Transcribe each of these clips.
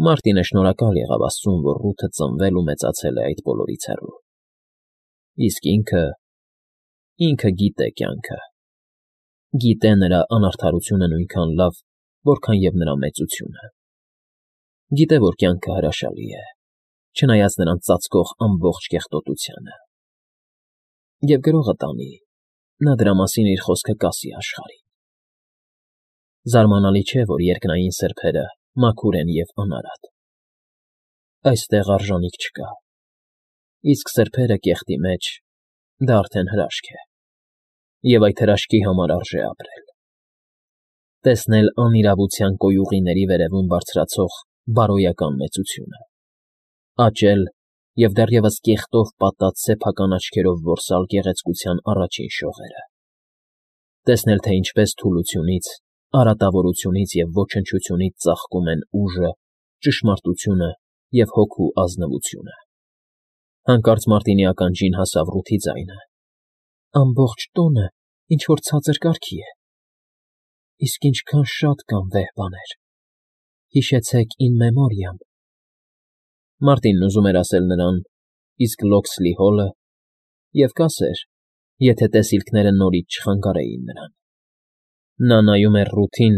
Մարտինը շնորհակալ եղավ Աստծուն, որ Ռութը ծնվել ու մեծացել է այդ բոլորից հեռու։ Իսկ ինքը գիտե կյանքը, գիտե նրա անարդարությունը նույնքան լավ, որքան և նրա մեծությունը։ Գիտե, որ կյանքը հրաշալի է, չնայած նրան ծածկող ամբողջ կեղտոտությանը։ Եվ գրողը տանի, նա դրա մասին իր խոսքը կասի աշխարհին։ Զարմանալի չէ, որ երկնային սրբերը մաքուր են և անարատ։ Այստեղ արժանիք չկա, իսկ սրբերը կեղտի մեջ, դա արդեն հրաշք է, և այդ հրաշքի համար արժե ապրել։ Տեսնել անիրավության կոյուղիների վերևում բարձրացող բարոյական մեծությունը, աճել և դեռևս կեղտով պատած սեփական աչքերով որսալ գեղեցկության առաջին շողերը, տեսնել, թե ինչպես թուլությունից, արատավորությունից և ոչնչությունից ծաղկում են ուժը, ճշմարտությունը և հոգու ազնվությունը։ Հանկարծ Մարտինի ականջին հասավ Ռութի ձայնը. «Ամբողջ տոնը ինչ֊որ ցածր կարգի է, իսկ ինչքան շատ կան վեհ բաներ. հիշեցեք in memoriam»։ Մարտինն ուզում էր ասել նրան «իսկ Լոքսլի հոլը» և կասեր, եթե տեսիլքները նորից չխանգարեին նրան։ Նա նայում էր Ռութին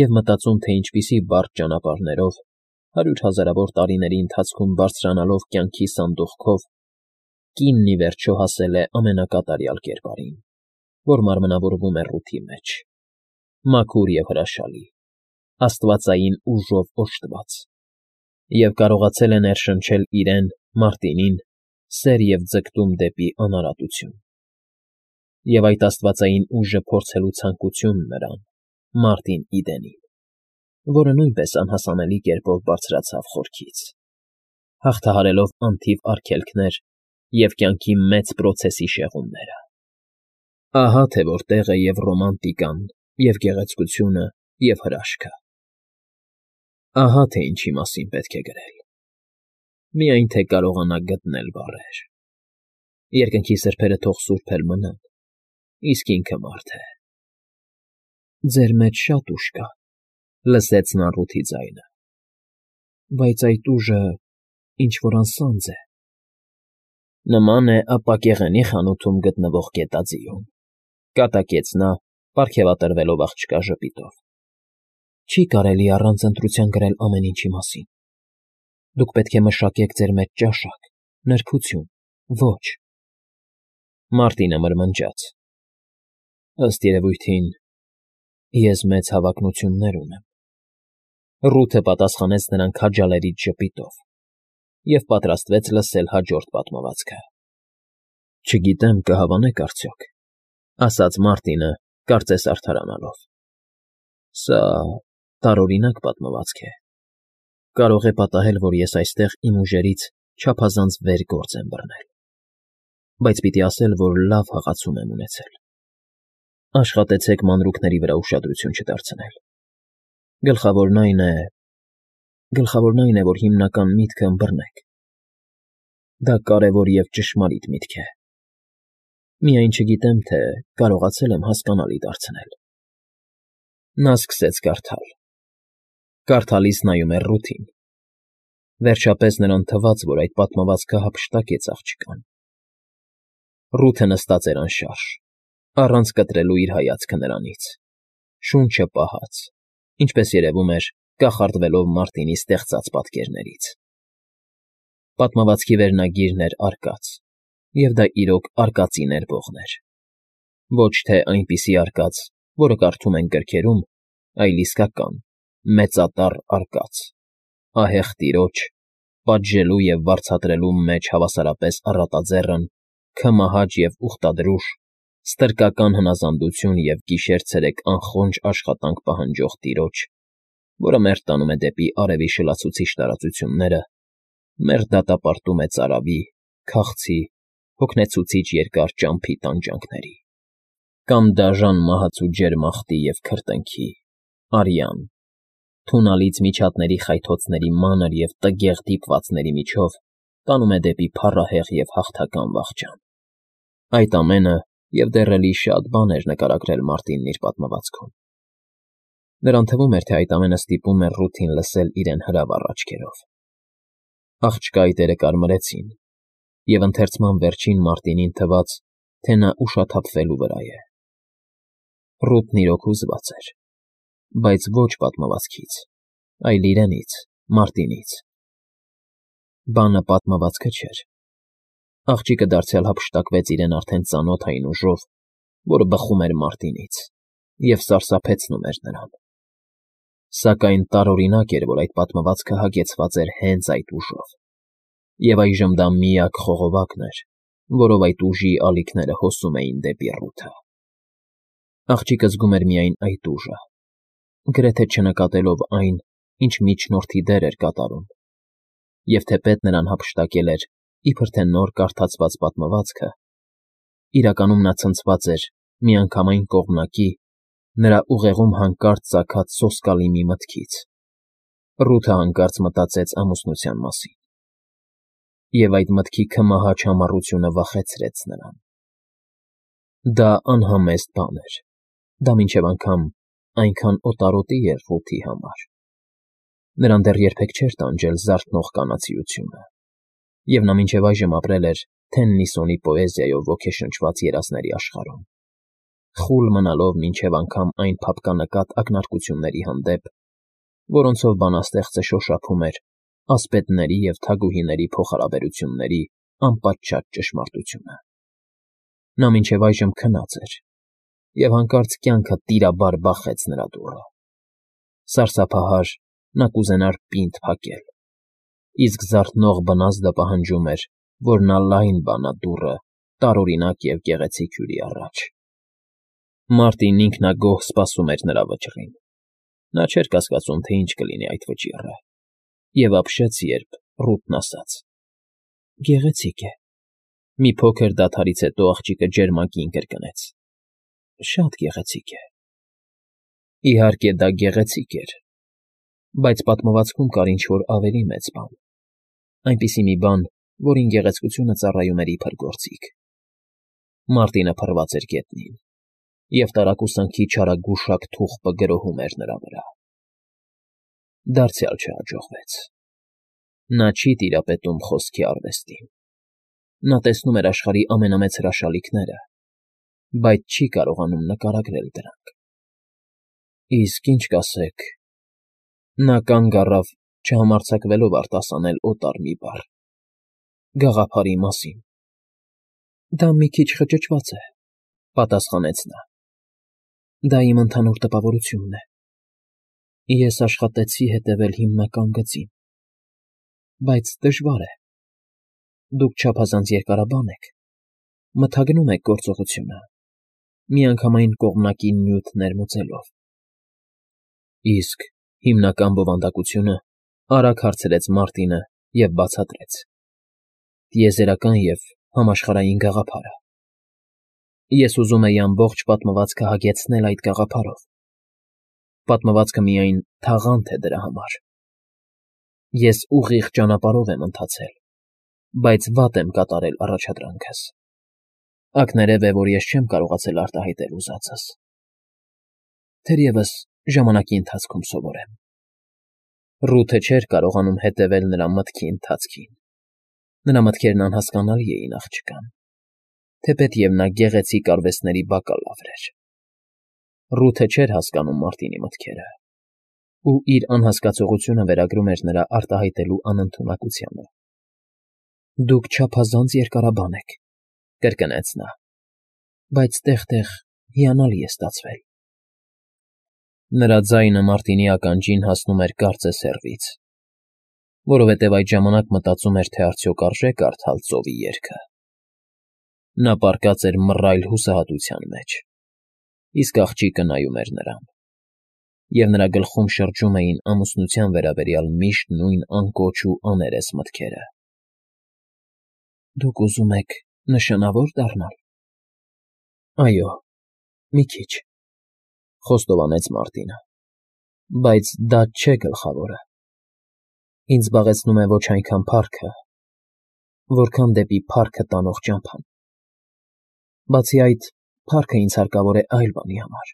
և մտածում, թե ինչպիսի բարդ ճանապարհներով, 100,000-ավոր տարիների ընթացքում բարձրանալով կյանքի սանդուղքով, կինն ի վերջո հասել է ամենակատարյալ կերպարին, որ մարմնավորվում է Ռութի մեջ, մաքուր և հրաշալի, աստվածային ուժով օժտված, և կարողացել է ներշնչել իրեն՝ Մարտինին, սեր և ձգտում դեպի անարատություն։ Եվ այդ աստվածային ուժը փորձելու ցանկությունն նրան, Մարտին Իդենին, որը նույնպես անհասանելի կերպով բարձրացավ խորքից, հաղթահարելով անթիվ արգելքներ և կյանքի մեծ պրոցեսի շեղումները։ Ահա թե որտեղ է և ռոմանտիկան, և գեղեցկությունը, և հրաշքը։ Ահա թե ինչի մասին պետք է գրել։ Միայն թե կարողանա գտնել բառեր։ Երկնքի սրբերը թող սուրբ էլ մնան, իսկ ինքը մարդ է։ «Ձեր մեջ շատ ուժ կա», լսեց նա Ռութի ձայնը, «բայց այդ ուժը ինչ֊որ անսանձ է»։ Նման է ապակեղենի խանութում գտնվող գետաձիուն, կատակեց նա, պարգևատրվելով աղջկա ժպիտով։ Չի կարելի առանց ընտրության գրել ամեն ինչի մասին։ Դուք պետք է մշակեք ձեր մեջ ճաշակ, նրբություն, ոճ։ Մարտինը մրմնջաց. Ըստ երևույթին, ես մեծ հավակնություններ ունեմ։ Ռութը պատասխանեց նրան քաջալերիչ ժպիտով և պատրաստվեց լսել հաջորդ պատմվածքը։ Չգիտեմ, կհավանեք արդյոք, ասաց Մարտինը, կարծես արդարանալով։ Սա տարօրինակ պատմվածք է։ Կարող է պատահել, որ ես այստեղ իմ ուժերից չափազանց վեր գործ եմ բռնել, բայց պիտի ասել, որ լավ հղացում եմ ունեցել։ Աշխատեցեք մանրուքների վրա ուշադրություն չդարձնել։ Գլխավորն այն է, որ հիմնական միտքը ըմբռնեք։ Դա կարևոր և ճշմարիտ միտք է։ Միայն չգիտեմ, թե կարողացել եմ հասկանալի դարձնել։ Նա սկսեց կարդալ։ Կարդալիս նայում էր Ռութին։ Վերջապես նրան թվաց, որ այդ պատմվածքը հափշտակեց աղջկան։ Ռութը նստած էր անշարժ, առանց կտրելու իր հայացքը նրանից, շունչը պահած, ինչպես երևում էր, կախարդվելով Մարտինի ստեղծած պատկերներից։ Պատմվածքի վերնագիրն էր «Արկած», և դա իրոք արկածի ներբողն էր։ Ոչ թե այնպիսի արկած, որը կարդում ենք գրքերում, այլ իսկական, մեծատառ արկած, ահեղ տիրոջ, պատժելու և վարձատրելու մեջ հավասարապես առատաձեռն, քմահաճ և ուխտադրուժ, ստրկական հնազանդություն և գիշեր֊ցերեկ անխոնջ աշխատանք պահանջող տիրոջ, որը մերթ տանում է դեպի արևի շլացուցիչ տարածությունները, մերթ դատապարտում է ծարավի, քաղցի, հոգնեցուցիչ երկար ճամփի տանջանքների, կամ դաժան մահացու ջերմ աղբի և քրտինքի, արյան, թունալից միջատների խայթոցների մանր և տգեղ դիպվածների միջով տանում է դեպի փառահեղ և հաղթական վախճան։ Այդ ամենը և դեռ էլի շատ բաներ նկարագրել Մարտինն իր պատմվածքում։ Նրան թվում էր, թե այդ ամենը ստիպում է Ռութին լսել իրեն հրավառ աչքերով։ Աղջկա այտերը կարմրեցին, և ընթերցման վերջին Մարտինին թվաց, թե նա ուշաթափվելու վրա է։ Ռութն իրոք հուզված էր, բայց ոչ պատմվածքից, այլ իրենից, Մարտինից։ Բանը պատմվածքը չէր։ Աղջիկը դարձյալ հափշտակվեց իրեն արդեն ծանոթ այն ուժով, որը բխում էր Մարտինից և սարսափեցնում էր նրան։ Սակայն տարօրինակ էր, որ այդ պատմվածքը հագեցված էր հենց այդ ուժով, և այժմ դա միակ խողովակն էր, որով այդ ուժի ալիքները հոսում էին դեպի Ռութը։ Աղջիկը զգում էր միայն այդ ուժը, գրեթե չնկատելով այն, ինչ միջնորդի դեր էր կատարում, և թեպետ նրան հափշտակել էր, իբր թե նոր կարդացված պատմվածքը, իրականում նա ցնցված էր միանգամայն կողմնակի, նրա ուղեղում հանկարծ ծագած սոսկալի մի մտքից։ Ռութը հանկարծ մտածեց ամուսնության մասին, և այդ մտքի քմահաճ համառությունը վախեցրեց նրան։ Դա անհամեստ բան էր, դա մինչև անգամ այնքան օտարոտի էր Ռութի համար։ Նրան դեռ երբեք չէր տանջել զարթնող կանացիությունը, և նա մինչև այժմ ապրել էր Թեննիսոնի պոեզիայով ոգեշնչված երազների աշխարհում, խուլ մնալով մինչև անգամ այն փափկանկատ ակնարկությունների հանդեպ, որոնցով բանաստեղծը շոշափում էր ասպետների և թագուհիների փոխհարաբերությունների անպատճառ ճշմարտությունը։ Նա մինչև այժմ քնած էր, և հանկարծ կյանքը տիրաբար բախեց նրա դուռը։ Սարսափահար, նա կուզենար պինդ փակել, իսկ զարթնող բնազդը պահանջում էր, որ նա լայն բանա դուռը տարօրինակ և գեղեցիկ հյուրի առաջ։ Մարտին ինքնագոհ սպասում էր նրա վճռին։ Նա չէր կասկածում, թե ինչ կլինի այդ վճիռը, և ապշեց, երբ Ռութն ասաց. «Գեղեցիկ է»։ Մի փոքր դադարից հետո աղջիկը ջերմագին կրկնեց. «Շատ գեղեցիկ է»։ Իհարկե, դա գեղեցիկ էր, բայց պատմվածքում կար ինչ֊որ ավելի մեծ բան, այնպիսի մի բան, որին գեղեցկությունը ծառայում էր իբր գործիք։ Մարտինը փռված էր գետնին, և տարակուսանքի չարագուշակ թուղթը գրոհում էր նրա վրա։ Դարձյալ չհաջողվեց։ Նա չի տիրապետում խոսքի արվեստին։ Նա տեսնում էր աշխարհի ամենամեծ հրաշալիքները, բայց չի կարողանում նկարագրել դրանք։ Իսկ ինչ կասեք… Նա կանգ առավ, չհամարձակվելով արտասանել օտար մի բառ. «Գաղափարի մասին»։ Դա մի քիչ խճճված է, պատասխանեց նա։ Դա իմ ընդհանուր տպավորությունն է։ Ես աշխատեցի հետևել հիմնական գծին, բայց դժվար է։ Դուք չափազանց երկարաբան եք, մթագնում եք գործողությունը, միանգամայն կողմնակի նյութ ներմուծելով։ Իսկ հիմնական բովանդակությունը,֊ արագ հարցրեց Մարտինը և բացատրեց. «Տիեզերական և համաշխարհային գաղափարը։ Ես ուզում էի ամբողջ պատմվածքը հագեցնել այդ գաղափարով։ Պատմվածքը միայն թաղանթ է դրա համար։ Ես ուղիղ ճանապարհով եմ ընթացել, բայց վատ եմ կատարել առաջադրանքս։ Ակներև է, որ ես չեմ կարողացել արտահայտել ուզածս։ Թերևս ժամանակի ընթացքում սովորեմ»։ Ռութը չէր կարողանում հետևել նրա մտքի ընթացքին։ Նրա մտքերն անհասկանալի էին աղջկան, թեպետև նա գեղեցիկ արվեստների բակալավր էր։ Ռութը չէր հասկանում Մարտինի մտքերը, ու իր անհասկացողությունը վերագրում էր նրա արտահայտելու անընդունակությանը։ «Դուք չափազանց երկարաբան եք», կրկնեց նա, «բայց տեղ֊տեղ հիանալի է ստացվել»։ Նրա ձայնը Մարտինի ականջին հասնում էր կարծես հեռվից, որովհետև այդ ժամանակ մտածում էր, թե արդյոք արժե կարդալ ծովի երգը։ Նա պառկած էր մռայլ հուսահատության մեջ, իսկ աղջիկը նայում էր նրան, և նրա գլխում շրջում էին ամուսնության վերաբերյալ միշտ նույն անկոչ ու աներես մտքերը։ «Դուք ուզում եք նշանավոր դառնալ»։ «Այո, մի քիչ», խոստովանեց Մարտինը, «բայց դա չէ գլխավորը։ Ինձ զբաղեցնում է ոչ այնքան փառքը, որքան դեպի փառքը տանող ճամփան։ Բացի այդ, փառքը ինձ հարկավոր է այլ բանի համար։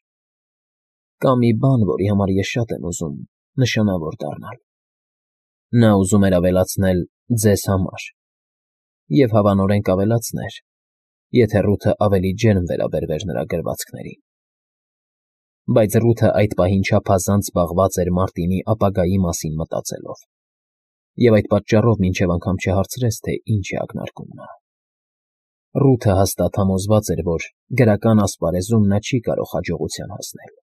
Կա մի բան, որի համար ես շատ եմ ուզում նշանավոր դառնալ։ Նա ուզում էր ավելացնել «ձեզ» համար և հավանորեն կավելացներ, եթե Ռութը ավելի ջերմ վերաբերվեր նրա գրվածքներին։ Բայց Ռութը այդ պահին չափազանց զբաղված էր Մարտինի ապագայի մասին մտածելով, և այդ պատճառով մինչև անգամ չհարցրեց, թե ինչ է ակնարկում նա։ Ռութը հաստատ համոզված էր, որ գրական ասպարեզում նա չի կարող հաջողության հասնել։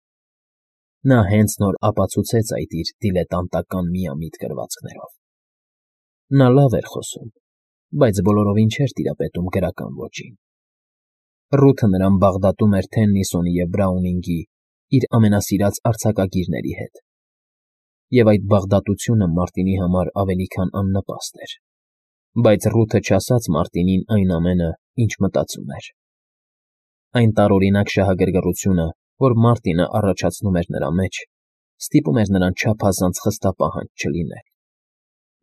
Նա հենց նոր ապացուցեց այդ իր դիլետանտական միամիտ գրվածքներով։ Նա լավ էր խոսում, բայց բոլորովին չէր տիրապետում գրական ոճին։ Ռութը նրան բաղդատում էր Թեննիսոնի և Բրաունինգի իր ամենասիրած արձակագիրների հետ, և այդ բաղդատությունը Մարտինի համար ավելի քան աննպաստ էր, բայց Ռութը չասաց Մարտինին այն ամենը, ինչ մտածում էր։ Այն տարօրինակ շահագրգռությունը, որ Մարտինը առաջացնում էր նրա մեջ, ստիպում էր նրան չափազանց խստապահանջ չլինել։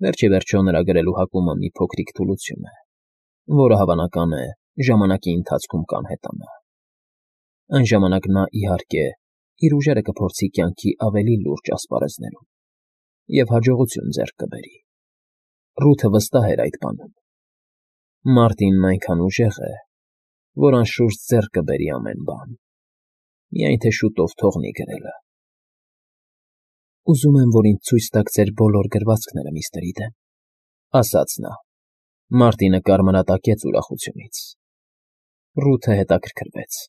Վերջ ի վերջո նրա գրելու հակումը մի փոքրիկ թուլություն է, որը, հավանական է, ժամանակի ընթացքում կանհետանա։ Այն ժամանակ նա, իհարկե, իր ուժերը կփորձի կյանքի ավելի լուրջ ասպարեզներում և հաջողություն ձեռք կբերի։ Ռութը վստահ էր այդ բանում։ Մարտինն այնքան ուժեղ է, որ անշուշտ ձեռք կբերի ամեն բան, միայն թե շուտով թողնի գրելը։ «Ուզում եմ, որ ինձ ցույց տաք ձեր բոլոր գրվածքները, միստր Իդեն», ֊ ասաց նա։ Մարտինը կարմրատակեց ուրախությունից։ Ռութը հետաքրքրվեց։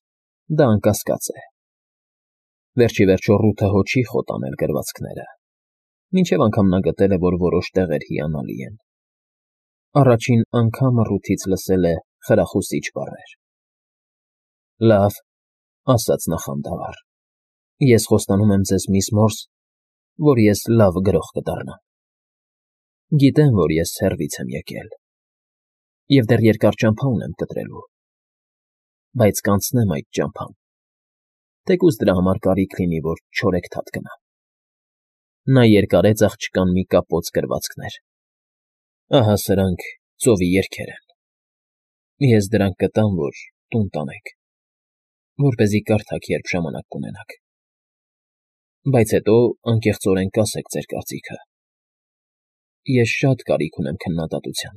Դա անկասկած է։ Վերջ ի վերջո Ռութը հո չի խոտ անել գրվածքները, մինչև անգամ նա գտել է, որ որոշ տեղեր հիանալի են։ Առաջին անգամը Ռութից լսել է խրախուսիչ բառեր։ «Լավ,֊ ասաց նա խանդավառ,֊ ես խոստանում եմ ձեզ, միս Մորս, որ ես լավ գրող կդառնամ։ Գիտեմ, որ ես հեռվից եմ եկել, և դեռ երկար ճամփա ունեմ կտրելու, բայց կանցնեմ այդ ճամփան, թեկուզ դրա համար կարիք լինի, որ չորեքթաթ գնամ»։ Նա երկարեց աղջկան մի կապոց գրվածքներ։ «Ահա սրանք ծովի երգեր են։ Ես դրանք կտամ, որ տուն տանեք, որպեսզի կարդաք, երբ ժամանակ կունենաք, բայց հետո անկեղծորեն կասեք ձեր կարծիքը։ Ես շատ կարիք ունեմ քննադատության։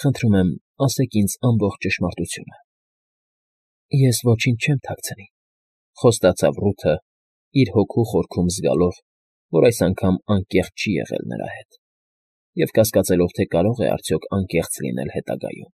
Խնդրում եմ, ասեք ինձ ամբողջ ճշմարտությունը»։ «Ես ոչինչ չեմ թաքցնի,֊ խոստացավ Ռութը, իր հոգու խորքում զգալով, որ այս անգամ անկեղծ չի եղել նրա հետ, և կասկածելով, թե կարող է արդյոք անկեղծ լինել հետագայում։